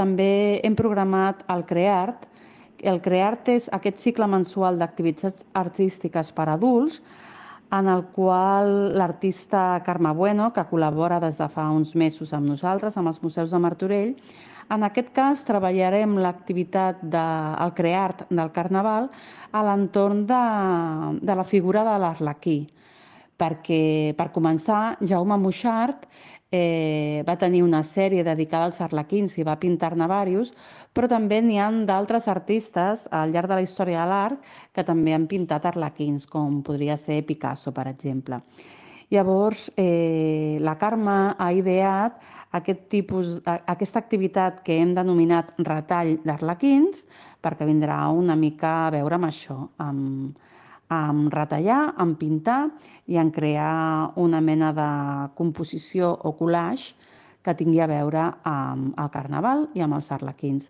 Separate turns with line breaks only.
també hem programat el CREART. El CREART és aquest cicle mensual d'activitats artístiques per a adults, en el qual l'artista Carme Bueno, que col·labora des de fa uns mesos amb nosaltres, amb els Museus de Martorell, en aquest cas treballarem l'activitat del CREART del Carnaval a l'entorn de la figura de l'Arlequí, perquè, per començar, Jaume Moixart va tenir una sèrie dedicada als arlequins i va pintar-ne diversos, però també n'hi ha d'altres artistes al llarg de la història de l'art que també han pintat arlequins, com podria ser Picasso, per exemple. Llavors, la Carme ha ideat aquesta activitat que hem denominat retall d'arlequins, perquè vindrà una mica a veure amb això, amb retallar, amb pintar i en crear una mena de composició o collage que tingui a veure amb el Carnaval i amb els arlequins.